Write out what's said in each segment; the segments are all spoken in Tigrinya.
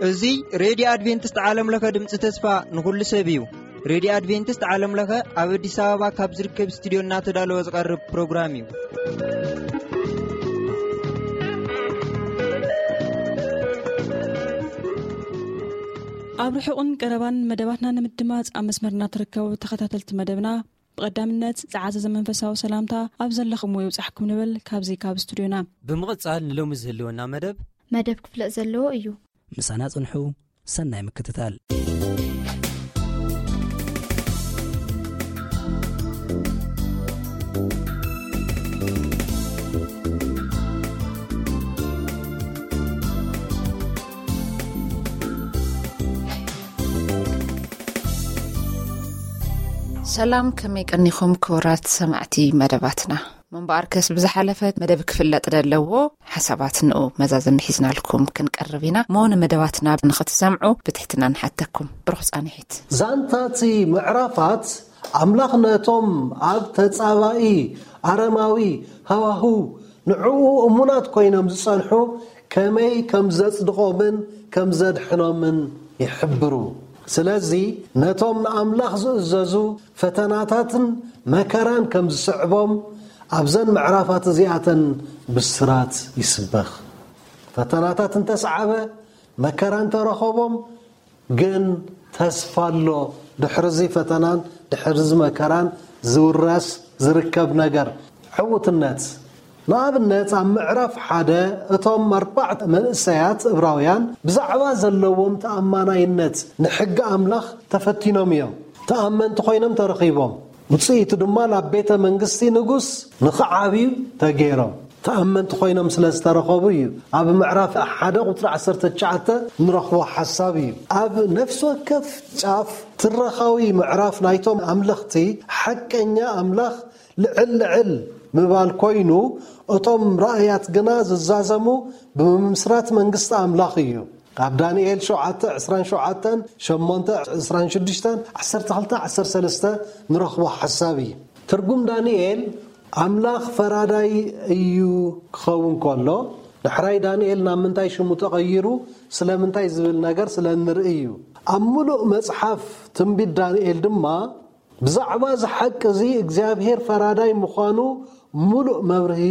እዚ ሬድዮ ኣድቬንቲስት ዓለም ለኸ ድምፂ ተስፋ ንኹሉ ሰብ እዩ። ሬድዮ ኣድቬንቲስት ዓለም ለኸ ኣብ ኣዲስ ኣበባ ካብ ዝርከብ ስቱዲዮ እናተዳለወ ዝቐርብ ፕሮግራም እዩ። ኣብ ርሑቕን ቀረባን መደባትና ንምድማፅ ኣብ መስመርና ትርከቡ ተኸታተልቲ መደብና፣ ብቐዳምነት ዝዓዘዘ መንፈሳዊ ሰላምታ ኣብ ዘለኹምዎ ይብጻሕኩም ንብል ካብዚ ካብ ስቱዲዮና። ብምቕጻል ንሎሚ ዝህልወና መደብ መደብ ክፍለጥ ዘለዎ እዩ። ምሳና ጽንሑ፣ ሰናይ ምክትታል። ሰላም፣ ከመይ ቀኒኹም ክቡራት ሰማዕቲ መደባትና? ምንባኣርከስ ብዝሓለፈ መደብ ክፍለጥ ዘለዎ ሓሳባት ንኡ መዛዘሚ ሒዝናልኩም ክንቀርብ ኢና። እሞ ንመደባትና ንኽትሰምዑ ብትሕትና ንሓተኩም። ብሩኽ ጻንሒት። ዛንታቲ ምዕራፋት ኣምላኽ ነቶም ኣብ ተጻባኢ ኣረማዊ ሃዋህው ንዕኡ እሙናት ኮይኖም ዝጸንሑ ከመይ ከም ዘጽድቖምን ከም ዘድሕኖምን ይሕብሩ። ስለዚ ነቶም ንኣምላኽ ዝእዘዙ ፈተናታትን መከራን ከም ዝስዕቦም ኣብዘን ምዕራፋት እዚኣተን ብስራት ይስበኽ። ፈተናታት እንተሰዓበ፣ መከራ እንተረኸቦም፣ ግን ተስፋ ኣሎ። ድሕርዚ ፈተናን ድሕርዚ መከራን ዝውረስ ዝርከብ ነገር ዕውትነት። ንኣብነት ኣብ ምዕራፍ ሓደ እቶም ኣርባዕተ መንእሰያት እብራውያን ብዛዕባ ዘለዎም ተኣማናይነት ንሕጊ ኣምላኽ ተፈቲኖም እዮም። ተኣመንቲ ኮይኖም ተረኺቦም። ውጽኢቱ ድማ ናብ ቤተ መንግስቲ ንጉስ ንኽዓብዩ ተገይሮም። ተኣመንቲ ኮይኖም ስለ ዝተረኸቡ እዩ። ኣብ ምዕራፍ ሓደ ቁጽሪ ዓሰርተ ትሽዓተ ንረኽቦ ሓሳብ እዩ። ኣብ ነፍሲ ወከፍ ጫፍ ትረኻዊ ምዕራፍ ናይቶም ኣምለኽቲ ሓቀኛ ኣምላኽ ልዕል ልዕል ምባል ኮይኑ፣ እቶም ራእያት ግና ዝዛዘሙ ብምምስራት መንግስቲ ኣምላኽ እዩ። ኣብ ዳንኤል ሸውዓተ ዕስራን ሸውዓተን፣ ሸሞንተ ዕስራን ሽዱሽተን፣ ዓሰርተ ክልተ ዓሰርተ ሰለስተ ንረኽቦ ሓሳብ እዩ። ትርጉም ዳንኤል ኣምላኽ ፈራዳይ እዩ ክኸውን ከሎ፣ ዳሕራይ ዳንኤል ናብ ምንታይ ሽሙ ተቐይሩ፣ ስለምንታይ ዝብል ነገር ስለ እንርኢ እዩ። ኣብ ምሉእ መጽሓፍ ትንቢት ዳንኤል ድማ ብዛዕባ እዚ ሓቂ እዚ እግዚኣብሔር ፈራዳይ ምዃኑ ምሉእ መብርሂ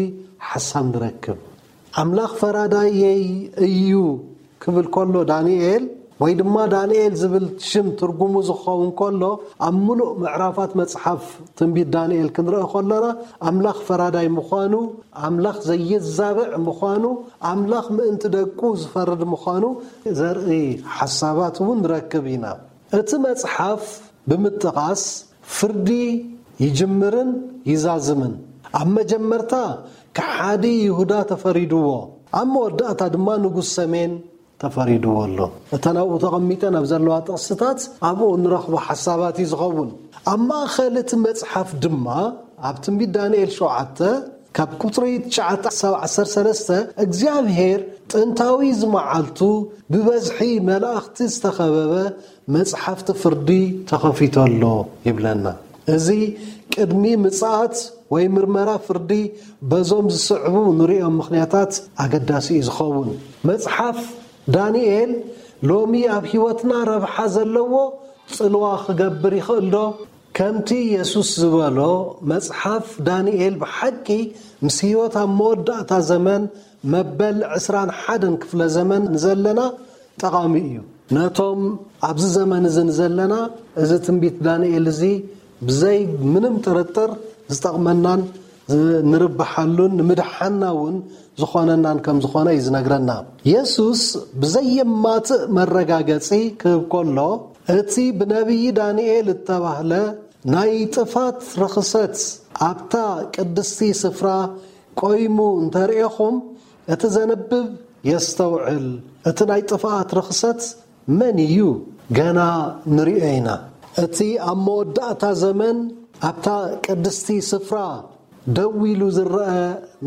ሓሳብ ንረክብ። ኣምላኽ ፈራዳየይ እዩ ክብል ከሎ ዳንኤል፣ ወይ ድማ ዳንኤል ዝብል ሽም ትርጉሙ ዝኸውን ከሎ፣ ኣብ ምሉእ ምዕራፋት መጽሓፍ ትንቢት ዳንኤል ክንርኢ ከለና፣ ኣምላኽ ፈራዳይ ምዃኑ፣ ኣምላኽ ዘየዛብዕ ምዃኑ፣ ኣምላኽ ምእንቲ ደቁ ዝፈርድ ምዃኑ ዘርኢ ሓሳባት እውን ንረክብ ኢና። እቲ መጽሓፍ ብምጥቓስ ፍርዲ ይጅምርን ይዛዝምን። ኣብ መጀመርታ ከሓዲ ይሁዳ ተፈሪድዎ። ኣብ መወዳእታ ድማ ንጉስ ሰሜን ተፈሪድዎ ኣሎ። እተን ኣብኡ ተቐሚጠን ኣብ ዘለዋ ጥቕስታት ኣብኡ እንረኽቦ ሓሳባት እዩ ዝኸውን። ኣብ ማእከል እቲ መጽሓፍ ድማ ኣብ ትንቢት ዳንኤል ሸውዓተ ካብ ቁጽሪ ትሽዓተ ክሳብ ዓሰርተ ሰለስተ እግዚኣብሔር ጥንታዊ ዝመዓልቱ ብበዝሒ መላእኽቲ ዝተኸበበ መጽሓፍቲ ፍርዲ ተኸፊቱ ኣሎ ይብለና። እዚ ቅድሚ ምጽኣት ወይ ምርመራ ፍርዲ በዞም ዝስዕቡ ንሪኦም ምኽንያታት ኣገዳሲ እዩ ዝኸውን። መጽሓፍ ዳንኤል ሎሚ ኣብ ህይወትና ረብሓ ዘለዎ ጽልዋ ክገብር ይኽእል ዶ? ከምቲ የሱስ ዝበሎ፣ መጽሓፍ ዳንኤል ብሓቂ ምስ ህይወት ኣብ መወዳእታ ዘመን መበል ዕስራን ሓደን ክፍለ ዘመን ንዘለና ጠቓሚ እዩ። ነቶም ኣብዚ ዘመን እዚ ንዘለና፣ እዚ ትንቢት ዳንኤል እዚ ብዘይ ምንም ጥርጥር ዝጠቕመናን ንርብሓሉን ንምድሓንና እውን ዝኾነናን ከም ዝኾነ እዩ ዝነግረና። የሱስ ብዘየማትእ መረጋገጺ ክህብ ከሎ፣ እቲ ብነቢይ ዳንኤል እተባህለ ናይ ጥፋት ርኽሰት ኣብታ ቅድስቲ ስፍራ ቆይሙ እንተርእኹም፣ እቲ ዘንብብ የስተውዕል። እቲ ናይ ጥፍኣት ርኽሰት መን እዩ? ገና ንርእዮ ኢና። እቲ ኣብ መወዳእታ ዘመን ኣብታ ቅድስቲ ስፍራ ደው ኢሉ ዝረአ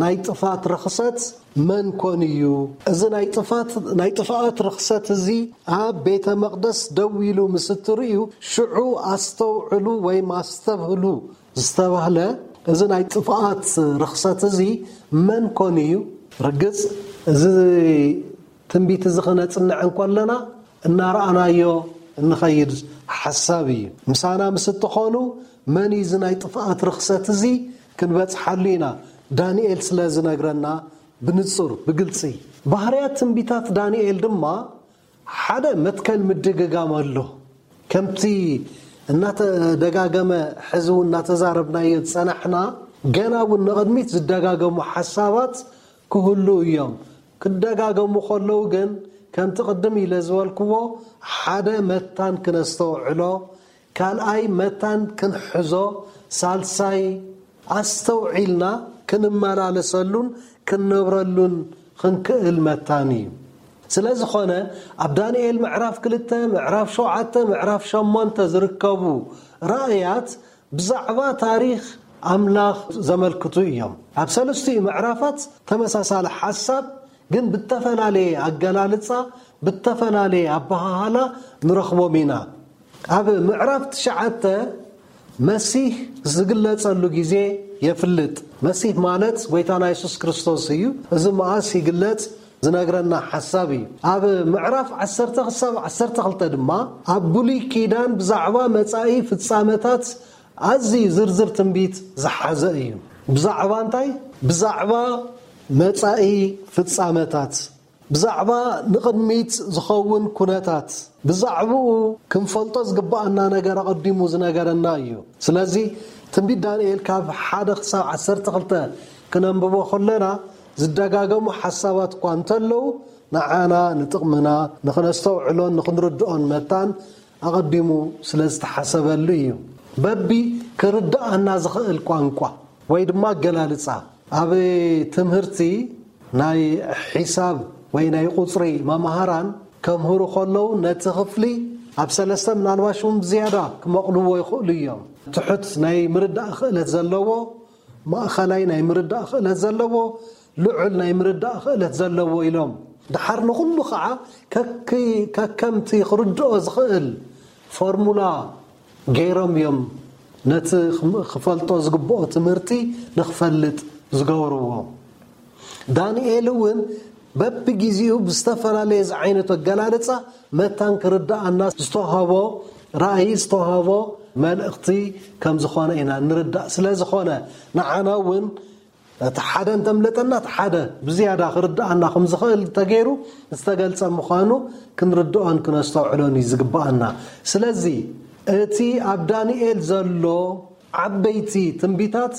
ናይ ጥፋት ርኽሰት መን ኮን እዩ? እዚ ናይ ጥፋት፣ ናይ ጥፍኣት ርኽሰት እዚ ኣብ ቤተ መቕደስ ደው ኢሉ ምስ እትርእዩ፣ ሽዑ ኣስተውዕሉ ወይም ኣስተብህሉ ዝተባህለ እዚ ናይ ጥፍኣት ርኽሰት እዚ መን ኮን እዩ? ርግጽ፣ እዚ ትንቢት እዚ ኽነጽንዕ እንከለና እናረኣናዮ እንኸይድ ሓሳብ እዩ። ምሳና ምስ እትኾኑ መን እዩ እዚ ናይ ጥፍኣት ርኽሰት እዚ ክንበጽሓሉ ኢና። ዳንኤል ስለ ዝነግረና ብንጹር፣ ብግልጺ። ባህርያት ትንቢታት ዳንኤል ድማ ሓደ መትከል ምድግጋም ኣሎ። ከምቲ እናተደጋገመ ሕዚ እውን እናተዛረብናዮ ዝጸናሕና፣ ገና እውን ንቕድሚት ዝደጋገሙ ሓሳባት ክህሉ እዮም። ክደጋገሙ ከለዉ ግን ከምቲ ቅድም ኢለ ዝበልክዎ ሓደ መታን ክነስተውዕሎ፣ ካልኣይ መታን ክንሕዞ፣ ሳልሳይ ኣስተውዒልና ክንመላለሰሉን ክንነብረሉን ክንክእል መታን እዩ። ስለ ዝኾነ ኣብ ዳንኤል ምዕራፍ ክልተ፣ ምዕራፍ ሸውዓተ፣ ምዕራፍ ሸሞንተ ዝርከቡ ራእያት ብዛዕባ ታሪኽ ኣምላኽ ዘመልክቱ እዮም። ኣብ ሰለስቲኡ ምዕራፋት ተመሳሳሊ ሓሳብ ግን ብተፈላለየ ኣገላልጻ፣ ብተፈላለየ ኣበሃህላ ንረኽቦም ኢና። ኣብ ምዕራፍ ትሽዓተ መሲህ ዝግለጸሉ ግዜ የፍልጥ። መሲህ ማለት ጎይታና የሱስ ክርስቶስ እዩ። እዚ መኣስ ይግለጽ ዝነግረና ሓሳብ እዩ። ኣብ ምዕራፍ ዓሰርተ ክሳብ ዓሰርተ ክልተ ድማ ኣብ ብሉይ ኪዳን ብዛዕባ መጻኢ ፍጻመታት ኣዝዩ ዝርዝር ትንቢት ዝሓዘ እዩ። ብዛዕባ እንታይ? ብዛዕባ መጻኢ ፍጻመታት፣ ብዛዕባ ንቕድሚት ዝኸውን ኩነታት፣ ብዛዕባኡ ክንፈልጦ ዝግባኣና ነገር ኣቐዲሙ ዝነገረና እዩ። ስለዚ ትንቢት ዳንኤል ካብ ሓደ ክሳብ ዓሰርተ ክልተ ክነንብቦ ከለና ዝደጋገሙ ሓሳባት እኳ እንተለዉ ንዓና ንጥቕምና ንኽነስተውዕሎን ንኽንርድኦን መታን ኣቐዲሙ ስለ ዝተሓሰበሉ እዩ። በቢ ክርድኣና ዝኽእል ቋንቋ ወይ ድማ ኣገላልጻ ኣብ ትምህርቲ ናይ ሒሳብ ወይ ናይ ቁጽሪ መማህራን ከምህሩ ከለዉ ነቲ ክፍሊ ኣብ ሰለስተ ምናልባሽ እውን ዝያዳ ክመቕልዎ ይኽእሉ እዮም። ትሑት ናይ ምርዳእ ክእለት ዘለዎ፣ ማእኸላይ ናይ ምርዳእ ክእለት ዘለዎ፣ ልዑል ናይ ምርዳእ ክእለት ዘለዎ ኢሎም ድሓር ንኹሉ ከዓ ከክ- ከከምቲ ክርድኦ ዝኽእል ፎርሙላ ገይሮም እዮም ነቲ ክም- ክፈልጦ ዝግብኦ ትምህርቲ ንክፈልጥ ዝገብርዎ። ዳንኤል እውን በብግዜኡ ብዝተፈላለየ ዝዓይነቱ ኣገላልጻ መታን ክርድኣና ዝተዋህቦ ራእይ ዝተዋህቦ መልእኽቲ ከም ዝኾነ ኢና ንርዳእ። ስለ ዝኾነ ንዓና እውን እቲ ሓደ እንተምለጠና እቲ ሓደ ብዝያዳ ክርድኣና ከም ዝኽእል ተገይሩ ዝተገልጸ ምዃኑ ክንርድኦን ክነስተውዕሎን እዩ ዝግብኣና። ስለዚ እቲ ኣብ ዳንኤል ዘሎ ዓበይቲ ትንቢታት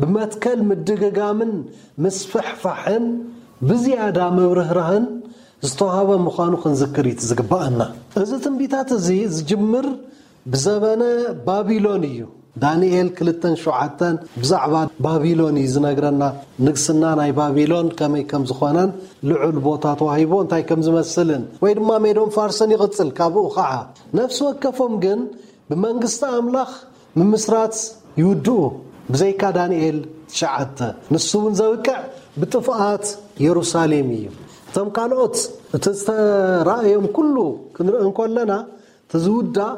ብመትከል ምድግጋምን ምስፍሕፋሕን ብዝያዳ ምብርህራህን ዝተዋህበ ምዃኑ ክንዝክር እዩ ዝግብኣና። እዚ ትንቢታት እዚ ዝጅምር ብዘበነ ባቢሎን እዩ። ዳንኤል ክልተን ሸውዓተን ብዛዕባ ባቢሎን እዩ ዝነግረና። ንግስና ናይ ባቢሎን ከመይ ከም ዝኾነን ልዑል ቦታ ተዋሂቦ እንታይ ከም ዝመስልን ወይ ድማ ሜዶን ፋርስን ይቕጽል። ካብኡ ኸዓ ነፍሲ ወከፎም ግን ብመንግስቲ ኣምላኽ ምምስራት ይውድኡ። ብዘይካ ዳንኤል ትሽዓተ ንሱ እውን ዘብቅዕ ብጥፍኣት የሩሳሌም እዩ። እቶም ካልኦት እቲ ዝተራእዮም ኩሉ ክንርኢ እንከለና እቲ ዝውዳእ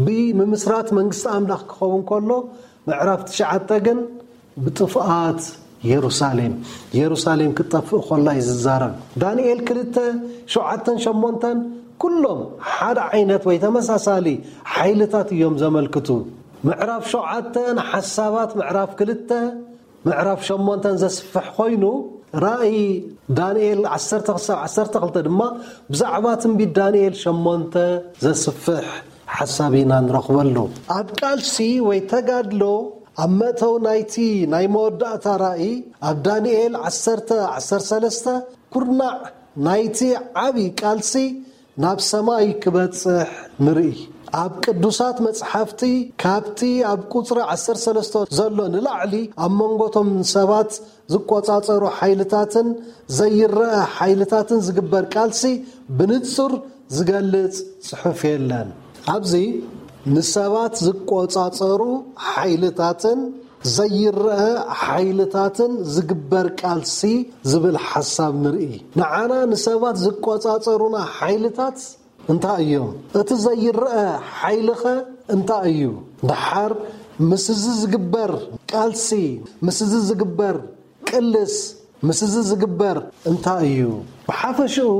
ብምምስራት መንግስቲ ኣምላኽ ክኸውን ከሎ ምዕራፍ ትሽዓተ ግን ብጥፍኣት የሩሳሌም የሩሳሌም ክትጠፍእ ከላ እዩ ዝዛረብ። ዳንኤል ክልተ ሸውዓተን ሸሞንተን ኩሎም ሓደ ዓይነት ወይ ተመሳሳሊ ሓይልታት እዮም ዘመልክቱ። ምዕራፍ ሸውዓተ ንሓሳባት ምዕራፍ ክልተ ምዕራፍ ሸሞንተን ዘስፍሕ ኮይኑ ራእይ ዳንኤል ዓሰርተ ክሳብ ዓሰርተ ክልተ ድማ ብዛዕባ ትንቢት ዳንኤል ሸሞንተ ዘስፍሕ ሓሳብ ኢና ንረኽበሉ። ኣብ ቃልሲ ወይ ተጋድሎ ኣብ መእተው ናይቲ ናይ መወዳእታ ራእይ ኣብ ዳንኤል ዓሰርተ ዓሰርተ ሰለስተ ኩርናዕ ናይቲ ዓቢ ቃልሲ ናብ ሰማይ ክበጽሕ ንርኢ። ኣብ ቅዱሳት መጽሓፍቲ ካብቲ ኣብ ቁጽሪ ዓሰርተ ሰለስተ ዘሎ ንላዕሊ ኣብ መንጎቶም ሰባት ዝቆጻጸሩ ሓይልታትን ዘይረአ ሓይልታትን ዝግበር ቃልሲ ብንጹር ዝገልጽ ጽሑፍ የለን። ኣብዚ ንሰባት ዝቆጻጸሩ ሓይልታትን ዘይረአ ሓይልታትን ዝግበር ቃልሲ ዝብል ሓሳብ ንርኢ። ንዓና ንሰባት ዝቆጻጸሩና ሓይልታት እንታይ እዮም? እቲ ዘይረአ ሓይልኸ እንታይ እዩ? ደሓር ምስዚ ዝግበር ቃልሲ፣ ምስዚ ዝግበር ቅልስ፣ ምስዚ ዝግበር እንታይ እዩ? ብሓፈሽኡ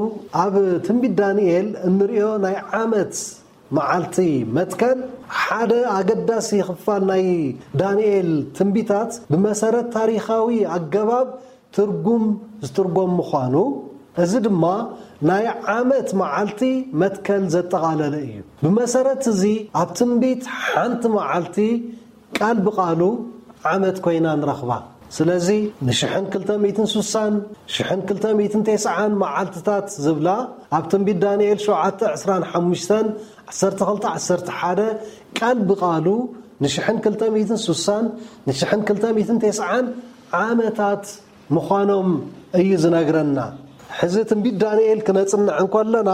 ኣብ ትንቢት ዳንኤል እንሪኦ ናይ ዓመት መዓልቲ መትከል ሓደ ኣገዳሲ ክፋል ናይ ዳንኤል ትንቢታት ብመሰረት ታሪኻዊ ኣገባብ ትርጉም ዝትርጎም ምዃኑ፣ እዚ ድማ ናይ ዓመት መዓልቲ መትከል ዘጠቓለለ እዩ። ብመሰረት እዚ ኣብ ትንቢት ሓንቲ መዓልቲ ቃል ብቓሉ ዓመት ኮይና ንረኽባ። ስለዚ ንሽሕን ክልተ ሚእትን ስሳን ሽሕን ክልተ ሚእትን ተስዓን መዓልትታት ዝብላ ኣብ ትንቢት ዳንኤል ሸውዓተ ዕስራን ሓሙሽተን ዓሰርተ ክልተ ዓሰርተ ሓደ ቃል ብቓሉ ንሽሕን ክልተ ሚእትን ስሳን ንሽሕን ክልተ ሚእትን ተስዓን ዓመታት ምዃኖም እዩ ዝነግረና። ሕዚ ትንቢት ዳንኤል ክነጽንዕ እንከለና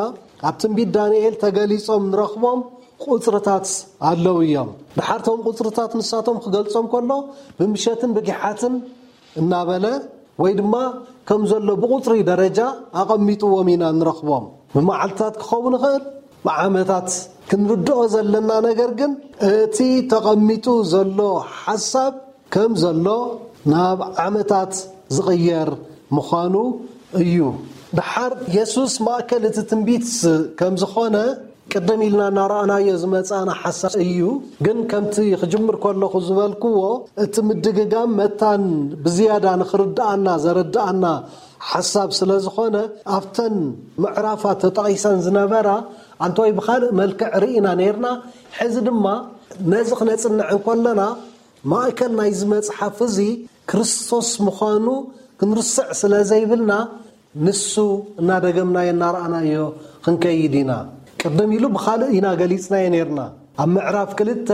ኣብ ትንቢት ዳንኤል ተገሊጾም ንረኽቦም ቁጽርታት ኣለዉ እዮም። ድሓርቶም ቁጽርታት ንሳቶም ክገልጾም ከሎ ብምሸትን ብጊሓትን እናበለ ወይ ድማ ከም ዘሎ ብቁጽሪ ደረጃ ኣቐሚጥዎም ኢና ንረኽቦም። ብመዓልትታት ክኸውን ይኽእል፣ ብዓመታት። ክንርድኦ ዘለና ነገር ግን እቲ ተቐሚጡ ዘሎ ሓሳብ ከም ዘሎ ናብ ዓመታት ዝቕየር ምዃኑ እዩ። ድሓር የሱስ ማእከል እቲ ትንቢት ከም ዝኾነ ቅድም ኢልና እናረኣናዮ ዝመጻና ሓሳብ እዩ። ግን ከምቲ ክጅምር ከለኹ ዝበልክዎ እቲ ምድግጋም መታን ብዝያዳ ንኽርድኣና ዘረድኣና ሓሳብ ስለ ዝኾነ ኣብተን ምዕራፋት ተጠቒሰን ዝነበራ ኣንተወይ ብኻልእ መልክዕ ርኢና ነይርና። ሕዚ ድማ ነዚ ክነጽንዕ እንከለና ማእከል ናይዚ መጽሓፍ እዚ ክርስቶስ ምዃኑ ክንርስዕ ስለ ዘይብልና ንሱ እናደገምናዮ እናረኣናዮ ክንከይድ ኢና። ቅድም ኢሉ ብኻልእ ኢና ገሊጽናዮ ነይርና። ኣብ ምዕራፍ ክልተ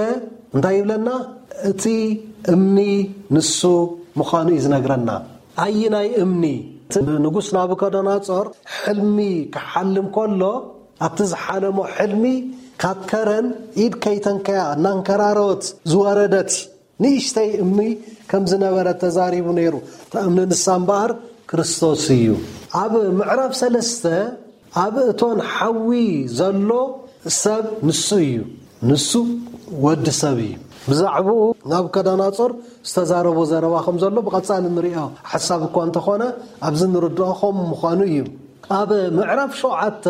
እንታይ ይብለና? እቲ እምኒ ንሱ ምዃኑ እዩ ዝነግረና። ኣይናይ እምኒ? እቲ ንጉስ ናቡከደነጾር ሕልሚ ክሓልም ከሎ ኣብቲ ዝሓለሞ ሕልሚ ካብ ከረን ኢድ ከይተንከያ እናንከራረወት ዝወረደት ንእሽተይ እምኒ ከም ዝነበረ ተዛሪቡ ነይሩ። እታ እምኒ ንሳ እምበኣር ክርስቶስ እዩ። ኣብ ምዕራፍ ሰለስተ ኣብ እቶን ሓዊ ዘሎ ሰብ ንሱ እዩ። ንሱ ወዲ ሰብ እዩ። ብዛዕባኡ ናቡከደነጾር ዝተዛረቦ ዘረባ ከም ዘሎ ብቐጻሊ ንሪኦ ሓሳብ እኳ እንተኾነ ኣብዚ ንርድኦ ከም ምዃኑ እዩ። ኣብ ምዕራፍ ሸውዓተ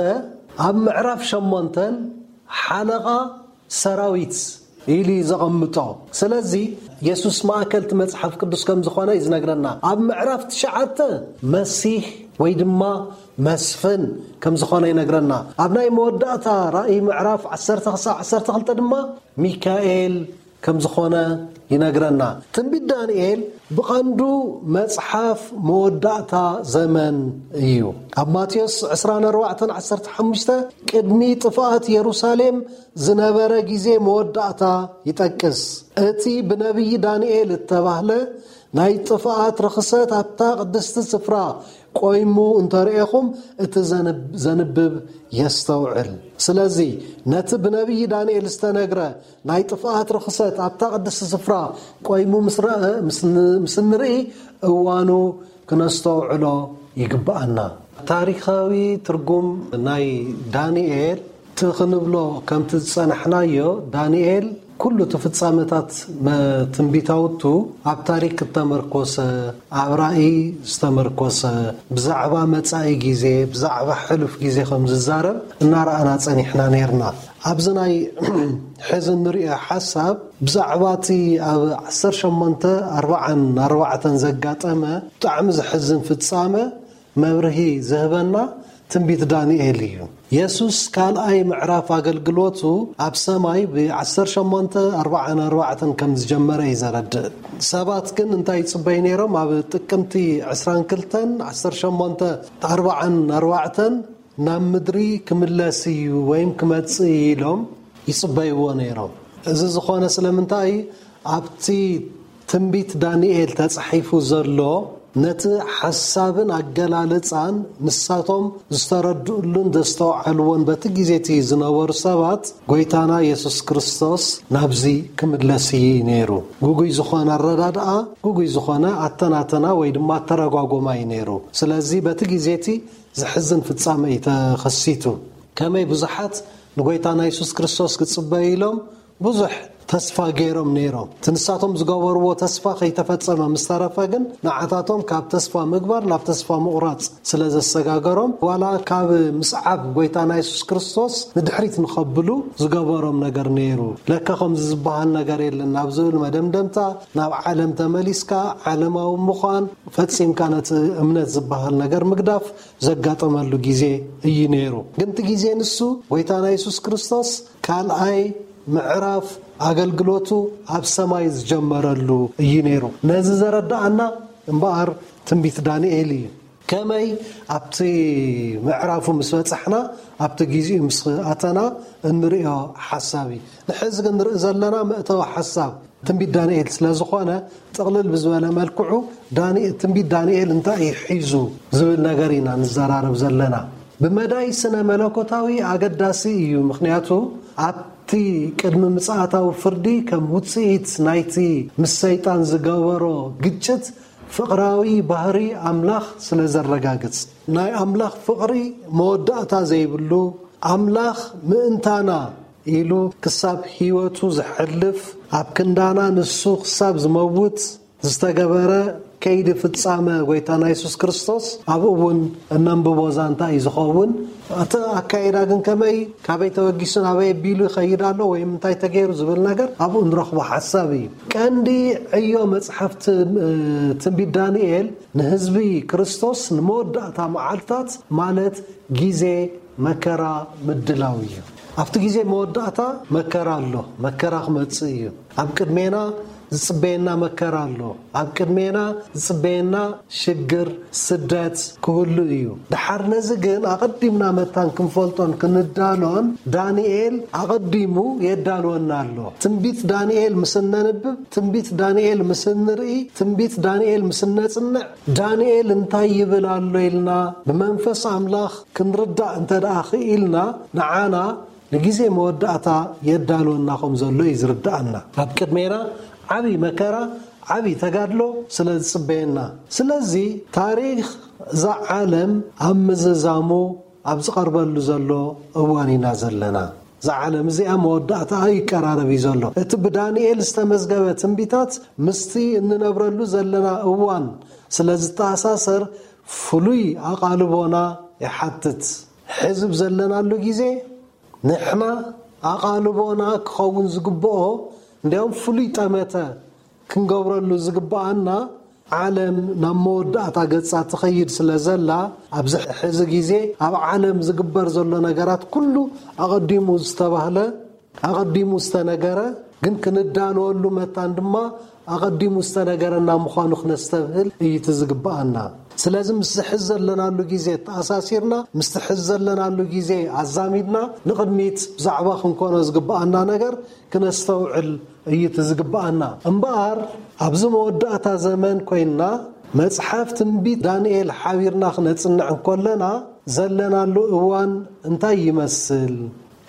ኣብ ምዕራፍ ሸሞንተን ሓለቓ ሰራዊት ኢሉ እዩ ዘቐምጦ። ስለዚ የሱስ ማእከል እቲ መጽሓፍ ቅዱስ ከም ዝኾነ እዩ ዝነግረና። ኣብ ምዕራፍ ትሽዓተ መሲሕ ወይ ድማ መስፍን ከም ዝኾነ ይነግረና። ኣብ ናይ መወዳእታ ራእይ ምዕራፍ ዓሰርተ ክሳብ ዓሰርተ ክልተ ድማ ሚካኤል ከም ዝኾነ ይነግረና። ትንቢት ዳንኤል ብቐንዱ መጽሓፍ መወዳእታ ዘመን እዩ። ኣብ ማቴዎስ ዕስራን ኣርባዕተን ዓሰርተ ሓሙሽተ ቅድሚ ጥፍኣት የሩሳሌም ዝነበረ ግዜ መወዳእታ ይጠቅስ። እቲ ብነቢይ ዳንኤል እተባህለ ናይ ጥፍኣት ርኽሰት ኣብታ ቅድስቲ ስፍራ ቆይሙ እንተርእኹም እቲ ዘንብ-፣ ዘንብብ የስተውዕል። ስለዚ ነቲ ብነቢይ ዳንኤል ዝተነግረ ናይ ጥፍኣት ርኽሰት ኣብታ ቅድስቲ ስፍራ ቆይሙ ምስ ረአ፣ ምስ ን-፣ ምስ እንርኢ እዋኑ ክነስተውዕሎ ይግብኣና። ታሪኻዊ ትርጉም ናይ ዳንኤል እቲ ክንብሎ ከምቲ ዝጸናሕናዮ፣ ዳንኤል ኩሉ እቲ ፍጻመታት መ-፣ ትንቢታውቱ ኣብ ታሪክ እተመርኮሰ፣ ኣብ ራእይ ዝተመርኮሰ፣ ብዛዕባ መጻኢ ግዜ፣ ብዛዕባ ሕሉፍ ግዜ ከም ዝዛረብ እናረኣና ጸኒሕና ነይርና። ኣብዚ ናይ ሕዚ እንሪኦ ሓሳብ ብዛዕባ እቲ ኣብ ዓሰርተ ሸሞንተ ኣርባዓን ኣርባዕተን ዘጋጠመ ብጣዕሚ ዘሕዝን ፍጻመ መብርሂ ዝህበና ትንቢት ዳንኤል እዩ። የሱስ ካልኣይ ምዕራፍ ኣገልግሎቱ ኣብ ሰማይ ብ ዓሰርተ ሸሞንተ ኣርባዓን ኣርባዕተን ከም ዝጀመረ እዩ ዘረድእ። ሰባት ግን እንታይ ይጽበዩ ነይሮም? ኣብ ጥቅምቲ ዕስራን ክልተን ዓሰርተ ሸሞንተ ኣርባዓን ኣርባዕተን ናብ ምድሪ ክምለስ እዩ ወይም ክመጽእ እዩ ኢሎም ይጽበይዎ ነይሮም። እዚ ዝኾነ ስለምንታይ? ኣብቲ ትንቢት ዳንኤል ተጻሒፉ ዘሎ ነቲ ሓሳብን ኣገላልጻን ንሳቶም ዝተረድእሉን ዘስተውዓልዎን በቲ ግዜ እቲ ዝነበሩ ሰባት ጎይታና የሱስ ክርስቶስ ናብዚ ክምለስ እዩ ነይሩ። ግጉይ ዝኾነ ኣረዳድኣ፣ ግጉይ ዝኾነ ኣተናተና ወይ ድማ ኣተረጓጎማ እዩ ነይሩ። ስለዚ በቲ ግዜ እቲ ዘሕዝን ፍጻመ እዩ ተኸሲቱ። ከመይ ብዙሓት ንጎይታና የሱስ ክርስቶስ ክጽበዩ ኢሎም ብዙሕ ተስፋ ገይሮም ነይሮም። እቲ ንሳቶም ዝገበርዎ ተስፋ ከይተፈጸመ ምስ ተረፈ ግን፣ ንዓታቶም ካብ ተስፋ ምግባር ናብ ተስፋ ምቑራጽ ስለ ዘሰጋገሮም፣ ዋላ ካብ ምስዓብ ጎይታና የሱስ ክርስቶስ ንድሕሪት ንኸብሉ ዝገበሮም ነገር ነይሩ። ለካ ከምዚ ዝበሃል ነገር የለን ናብ ዝብል መደምደምታ፣ ናብ ዓለም ተመሊስካ ዓለማዊ ምዃን፣ ፈጺምካ ነቲ እምነት ዝበሃል ነገር ምግዳፍ ዘጋጠመሉ ግዜ እዩ ነይሩ። ግን እቲ ግዜ ንሱ ጎይታና የሱስ ክርስቶስ ካልኣይ ምዕራፍ ኣገልግሎቱ ኣብ ሰማይ ዝጀመረሉ እዩ ነይሩ። ነዚ ዘረዳኣና እምበኣር ትንቢት ዳንኤል እዩ። ከመይ ኣብቲ ምዕራፉ ምስ በጻሕና፣ ኣብቲ ግዜኡ ምስ ኣተና እንርእዮ ሓሳብ እዩ። ንሕዚ ግን ንርኢ ዘለና መእተዊ ሓሳብ ትንቢት ዳንኤል ስለ ዝኾነ፣ ጥቕልል ብዝበለ መልክዑ ዳንኤ-፣ ትንቢት ዳንኤል እንታይ እዩ ሒዙ ዝብል ነገር ኢና ንዘራረብ ዘለና። ብመዳይ ስነ መለኮታዊ ኣገዳሲ እዩ። ምኽንያቱ ኣብቲ ቅድሚ ምጽኣታዊ ፍርዲ ከም ውጽኢት ናይቲ ምስ ሰይጣን ዝገበሮ ግጭት ፍቕራዊ ባህሪ ኣምላኽ ስለ ዘረጋግጽ፣ ናይ ኣምላኽ ፍቕሪ መወዳእታ ዘይብሉ፣ ኣምላኽ ምእንታና ኢሉ ክሳብ ህይወቱ ዘሕልፍ፣ ኣብ ክንዳና ንሱ ክሳብ ዝመውት ዝተገበረ ከይዲ ፍጻመ ጎይታና የሱስ ክርስቶስ ኣብኡ እውን እነንብቦ ዛንታ እዩ ዝኸውን። እቲ ኣካይዳ ግን ከመይ፣ ካበይ ተበጊሱ ናበይ ኣቢሉ ይኸይድ ኣሎ ወይ እንታይ ተገይሩ ዝብል ነገር ኣብኡ ንረኽቦ ሓሳብ እዩ። ቀንዲ ዕዮ መጽሓፍ ት-፣ ትንቢት ዳንኤል ንህዝቢ ክርስቶስ ንመወዳእታ መዓልታት ማለት ግዜ መከራ ምድላው እዩ። ኣብቲ ግዜ መወዳእታ መከራ ኣሎ፣ መከራ ክመጽእ እዩ። ኣብ ቅድሜና ዝጽበየና መከራ ኣሎ፣ ኣብ ቅድሜና ዝጽበየና ሽግር፣ ስደት ክህሉ እዩ። ድሓር ነዚ ግን ኣቐዲምና መታን ክንፈልጦን ክንዳሎን ዳንኤል ኣቐዲሙ የዳልወና ኣሎ። ትንቢት ዳንኤል ምስ እነንብብ፣ ትንቢት ዳንኤል ምስ እንርኢ፣ ትንቢት ዳንኤል ምስ እነጽንዕ፣ ዳንኤል እንታይ ይብል ኣሎ ኢልና ብመንፈስ ኣምላኽ ክንርዳእ እንተ ደኣ ክኢልና፣ ንዓና ንግዜ መወዳእታ የዳልወና ከም ዘሎ እዩ ዝርድኣና። ኣብ ቅድሜና ዓቢ መከራ፣ ዓቢ ተጋድሎ ስለ ዝጽበየና። ስለዚ ታሪኽ እዛ ዓለም ኣብ ምዝዛሙ ኣብ ዝቐርበሉ ዘሎ እዋን ኢና ዘለና። እዛ ዓለም እዚኣ መወዳእታኣ ይቀራረብ እዩ ዘሎ። እቲ ብዳንኤል ዝተመዝገበ ትንቢታት ምስቲ እንነብረሉ ዘለና እዋን ስለ ዝተኣሳሰር ፍሉይ ኣቓልቦና ይሓትት። ሕዚ ብዘለናሉ ግዜ ንሕና ኣቓልቦና ክኸውን ዝግብኦ፣ እንዲያውም ፍሉይ ጠመተ ክንገብረሉ ዝግብኣና፣ ዓለም ናብ መወዳእታ ገጻ ትኸይድ ስለ ዘላ፣ ኣብዚ ሕዚ ግዜ ኣብ ዓለም ዝግበር ዘሎ ነገራት ኩሉ ኣቐዲሙ ዝተባህለ፣ ኣቐዲሙ ዝተነገረ፣ ግን ክንዳለወሉ መታን ድማ ኣቐዲሙ ዝተነገረና ምዃኑ ክነስተብህል እዩ እቲ ዝግብኣና። ስለዚ ምስቲ ሕዚ ዘለናሉ ግዜ ተኣሳሲርና፣ ምስቲ ሕዚ ዘለናሉ ግዜ ኣዛሚድና ንቕድሚት ብዛዕባ ክንኮኖ ዝግብኣና ነገር ክነስተውዕል እዩ እቲ ዝግብኣና። እምበኣር ኣብዚ መወዳእታ ዘመን ኮይንና መጽሓፍ ትንቢት ዳንኤል ሓቢርና ክነጽንዕ እንኮለና ዘለናሉ እዋን እንታይ ይመስል?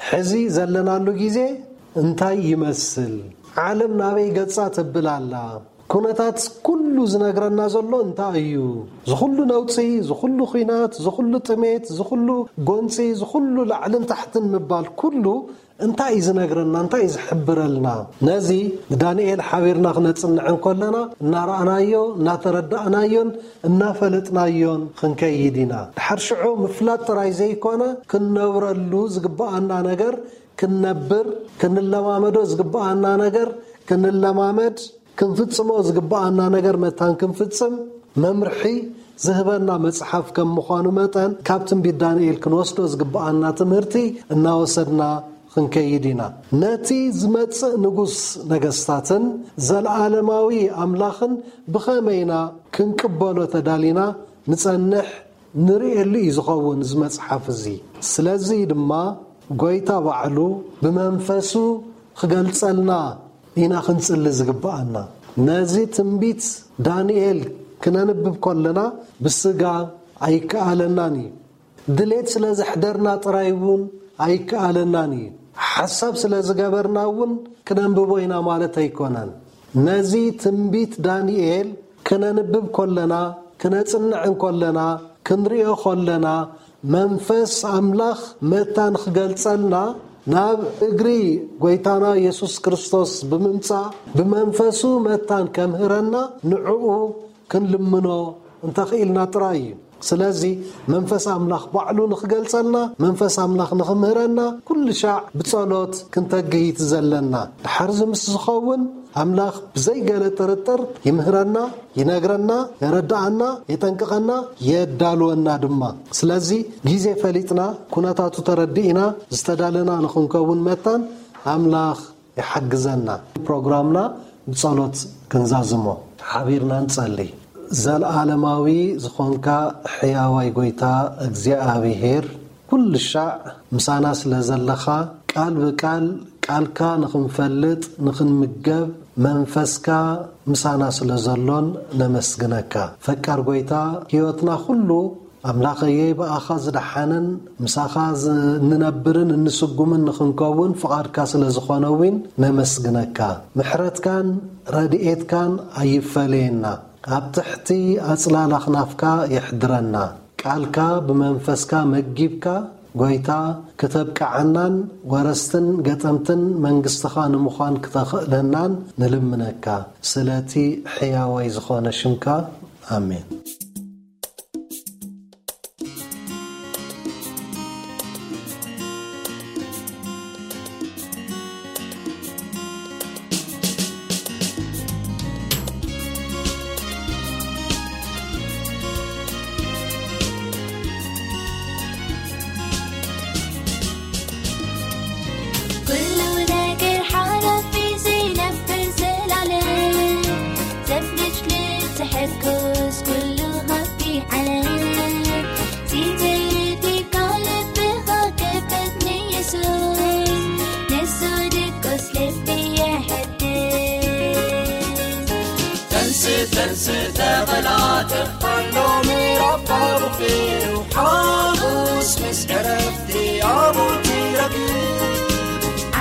ሕዚ ዘለናሉ ግዜ እንታይ ይመስል? ዓለም ናበይ ገጻ ተብል ኣላ? ኩነታት ኩሉ ዝነግረና ዘሎ እንታይ እዩ? ዝኹሉ ነውጺ፣ ዝኹሉ ኹናት፣ ዝኹሉ ጥሜት፣ ዝኹሉ ጎንጺ፣ ዝኹሉ ላዕልን ታሕትን ምባል ኩሉ እንታይ እዩ ዝነግረና? እንታይ እዩ ዝሕብረልና? ነዚ ንዳንኤል ሓቢርና ክነጽንዕ እንኮለና እናረኣናዮ፣ እናተረዳእናዮን እናፈለጥናዮን ክንከይድ ኢና። ድሓር ሽዑ ምፍላጥ ጥራይ ዘይኮነ፣ ክንነብረሉ ዝግብኣና ነገር ክንነብር፣ ክንለማመዶ ዝግብኣና ነገር ክንለማመድ፣ ክንፍጽሞ ዝግብኣና ነገር መታን ክንፍጽም መምርሒ ዝህበና መጽሓፍ ከም ምዃኑ መጠን፣ ካብ ትንቢት ዳንኤል ክንወስዶ ዝግብኣና ትምህርቲ እናወሰድና ክንከይድ ኢና። ነቲ ዝመጽእ ንጉስ ነገስታትን ዘለዓለማዊ ኣምላኽን ብኸመይ ኢና ክንቅበሎ ተዳሊና ንጸንሕ ንርእየሉ እዩ ዝኸውን እዚ መጽሓፍ እዚ። ስለዚ ድማ ጐይታ ባዕሉ ብመንፈሱ ክገልጸልና ኢና ክንጽሊ ዝግብኣና። ነዚ ትንቢት ዳንኤል ክነንብብ ከለና ብስጋ ኣይከኣለናን እዩ። ድሌት ስለ ዘሕደርና ጥራይ እውን ኣይከኣለናን እዩ። ሓሳብ ስለ ዝገበርና እውን ክነንብቦ ኢና ማለት ኣይኮነን። ነዚ ትንቢት ዳንኤል ክነንብብ ከለና፣ ክነጽንዕ እንከለና፣ ክንሪኦ ከለና፣ መንፈስ ኣምላኽ መታን ክገልጸልና ናብ እግሪ ጎይታና የሱስ ክርስቶስ ብምምጻእ ብመንፈሱ መታን ከምህረና ንዕኡ ክንልምኖ እንተኽኢልና ጥራይ እዩ። ስለዚ መንፈስ ኣምላኽ ባዕሉ ንኽገልጸልና፣ መንፈስ ኣምላኽ ንኽምህረና ኩሉ ሻዕ ብጸሎት ክንተግህ እዩ ዘለና። ድሓር እዚ ምስ ዝኸውን ኣምላኽ ብዘይገለ ጥርጥር ይምህረና፣ ይነግረና፣ የረድኣና፣ የጠንቅቐና፣ የዳልወና ድማ። ስለዚ ግዜ ፈሊጥና፣ ኩነታቱ ተረዲእና፣ ዝተዳለና ንኽንከውን መታን ኣምላኽ ይሓግዘና። ፕሮግራምና ብጸሎት ክንዛዝሞ። ሓቢርና ንጸሊ። ዘለዓለማዊ ዝኾንካ ሕያዋይ ጎይታ እግዚኣብሔር፣ ኩሉ ሻዕ ምሳና ስለ ዘለኻ፣ ቃል ብቃል ቃልካ ንኽንፈልጥ፣ ንኽንምገብ፣ መንፈስካ ምሳና ስለ ዘሎን ነመስግነካ። ፈቃር ጎይታ፣ ህይወትና ኩሉ ኣምላኸየይ ብኣኻ ዝደሓንን ምሳኻ ዝ-፣ እንነብርን እንስጉምን ንኽንከውን ፍቓድካ ስለ ዝኾነ እውን ነመስግነካ። ምሕረትካን ረድኤትካን ኣይፈለየና። ኣብ ትሕቲ ኣጽላል ኣኽናፍካ የሕድረና። ቃልካ ብመንፈስካ መጊብካ፣ ጎይታ፣ ክተብቅዓናን ወረስትን ገጠምትን መንግስትኻ ንምዃን ክተኽእለናን ንልምነካ። ስለቲ ሕያዋይ ዝኾነ ሽምካ፣ ኣሜን። ኩሉ ነገር ሓላፊ፣ ዘይነብር ዘላለም፣ ዘፍልጭልጭ ዝሕርኩስ ኩሉ ሃብቲ ዓለም። ሲትርቲካ ልብኻ ክፈት ንየሱስ፣ ንሱ ድቁስ ልቢ የሐድስ። ተንስእ፣ ተንስእ፣ ተቐላጠፍ፣ ኣሎ ምዕራፍ ኣቡኺ እዩ። ሓጎስ ምስ ዕረፍቲ ኣብኡ ትረክብ።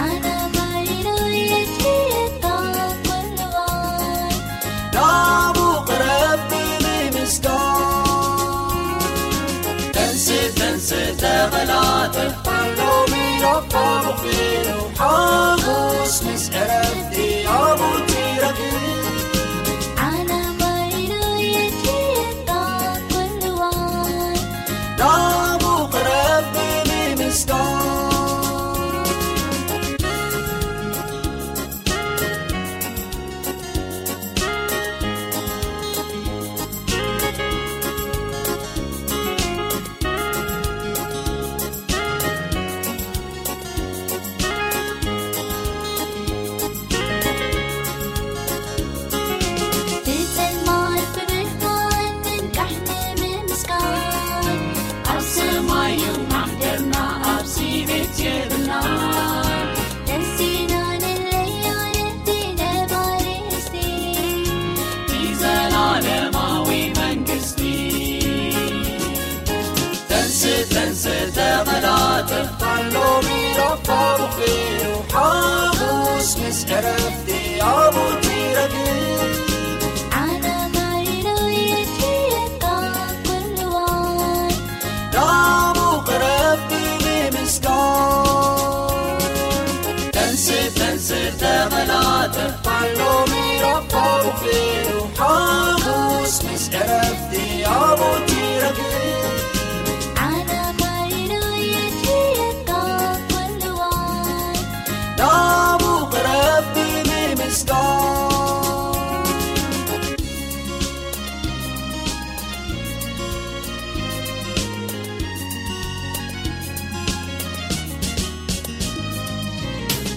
ዓለማይኑ የድልየካ ኩሉ እዋን። ናብኡ ቅረብ ብምምስጋን። ተንስእ፣ ተንስእ፣ ተቐላጠፍ፣ ኣሎ ምዕራፍ ኣቡኺ እዩ። ሓጎስ ምስ ዕረፍቲ ኣብኡ ትረክብ። ዓለማይኑ የድልየካ ኩሉ እዋን። ናብኡ ቅረብ ብምምስጋን። ብጸልማት ብብርሃን ምንቃሕ ንምምስጋን። ኣብ ሰማይ እዩ ማሕደርና፣ ኣብዚ ቤት የብልና። ነፍሲና ንለዮ ነቲ ነባሪ ርስቲ፣ እቲ ዘላለማዊ መንግስቲ። ተንስእ፣ ተንስእ፣ ተቐላጠፍ፣ ኣሎ ምዕራፍ ኣቡኺ እዩ። ሓጎስ ምስ ዕረፍቲ ኣብኡ ትረክብ። ዓለማይኑ የድልየካ ኩሉ እዋን። ናብኡ ቅረብ ብምምስጋን። ተንስእ፣ ተንስእ፣ ተቐላጠፍ፣ ኣሎ ምዕራፍ ኣቡኺ እዩ። ሓጎስ ምስ ዕረፍቲ ኣብኡ ትረክብ። ዓለማይኑ የድልየካ ኩሉ እዋን። ናብኡ ቅረብ ብምምስጋን።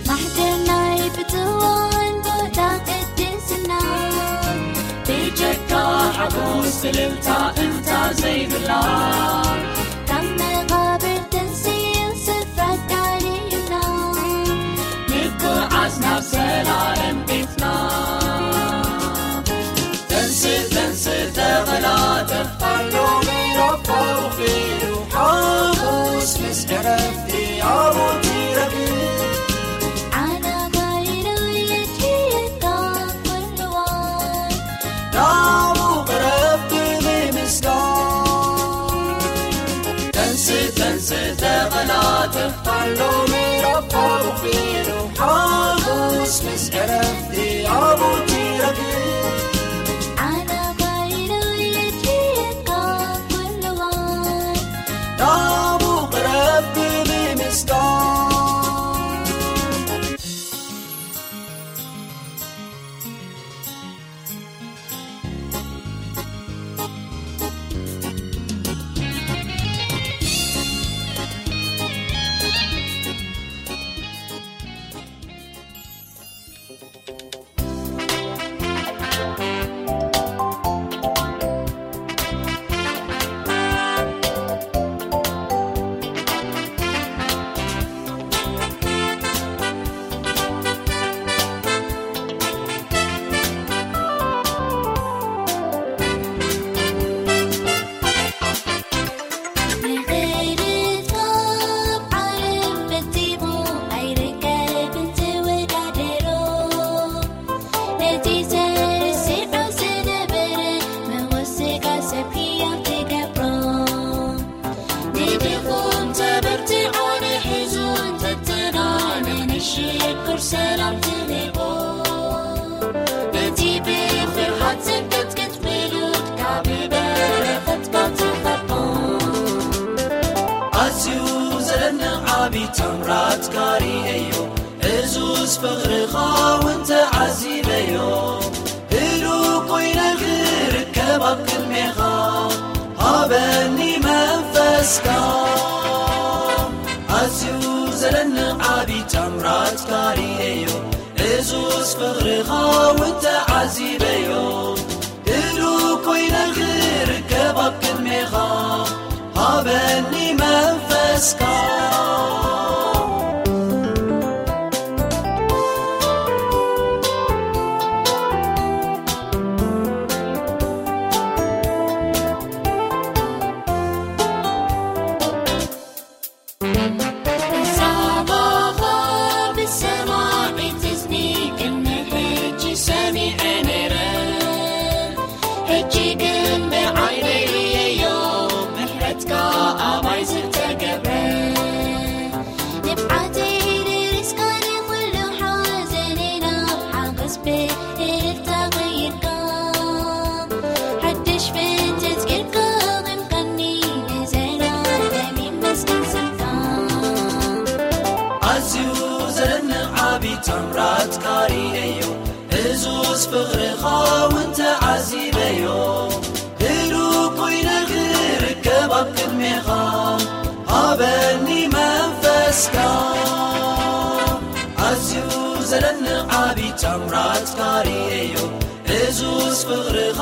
ማሕደር ናይ ብፅዋን ቦታ ቅድስና፣ ብጀካ ሓጎስ እልልታ እንታ ዘይብላ፣ ካብ መቓብር ተንሲኡ ስፍራ ኣዳልዩልና፣ ንጉዓዝ ናብ ዘላለም ቤትና። ተንስእ፣ ተንስእ፣ ተቐላጠፍ፣ ኣሎ ምዕራፍ ኣቡኺ እዩ። ሓጎስ ምስ ዕረፍቲ ኣብኡ ትረክብ። ዓለማይኑ የድልየካ ኩሉ እዋን። ናብኡ ቅረብ ብምምስጋን። ተንስእ፣ ተንስእ፣ ተቐላጠፍ፣ ኣሎ ምዕራፍ ፍቕርኻ እውን ተዓዚበዮ። ህሉው ኮይነ ክርከብ ኣብ ቅድሜኻ፣ ሃበኒ መንፈስካ። ኣዝዩ ዘደንቕ ዓቢ ታምራትካ ርእየዮ። እዙዝ ፍቕርኻ እውን ተዓዚበዮ። ህሉው ኮይነ ክርከብ ኣብ ቅድሜኻ፣ ሃበኒ መንፈስካ። ዛባኻ ብሰማዒት እዝኒ ቅድሚ ሕጂ ሰሚዐ ነይረ። ሕጂ ግን ብዓይነይ ርእየዮ፣ ምሕረትካ ኣባይ ዝተገብረ። ንብዓተይ ደሪስካ ንኹሉ ሓዘነይ ናብ ሓጎስ ብእልልታ ቀይርካ። ሓድሽ ፍጥረት ጌርካ ኣቐምካኒ፣ ንዘለኣለም ይመስገን ስምካ። ኣዝዩ ዘደንቕ ዓቢ ታምራትካ ርእየዮ፣ እዙዝ ፍቕርኻ እውን ተዓዚበዮ። ህሉው ኮይነ ክርከብ ኣብ ቅድሜኻ፣ ሃበኒ መንፈስካ። ኣዝዩ ዘደንቕ ዓቢ ታምራትካ ርእየዮ፣ እዙዝ ፍቕርኻ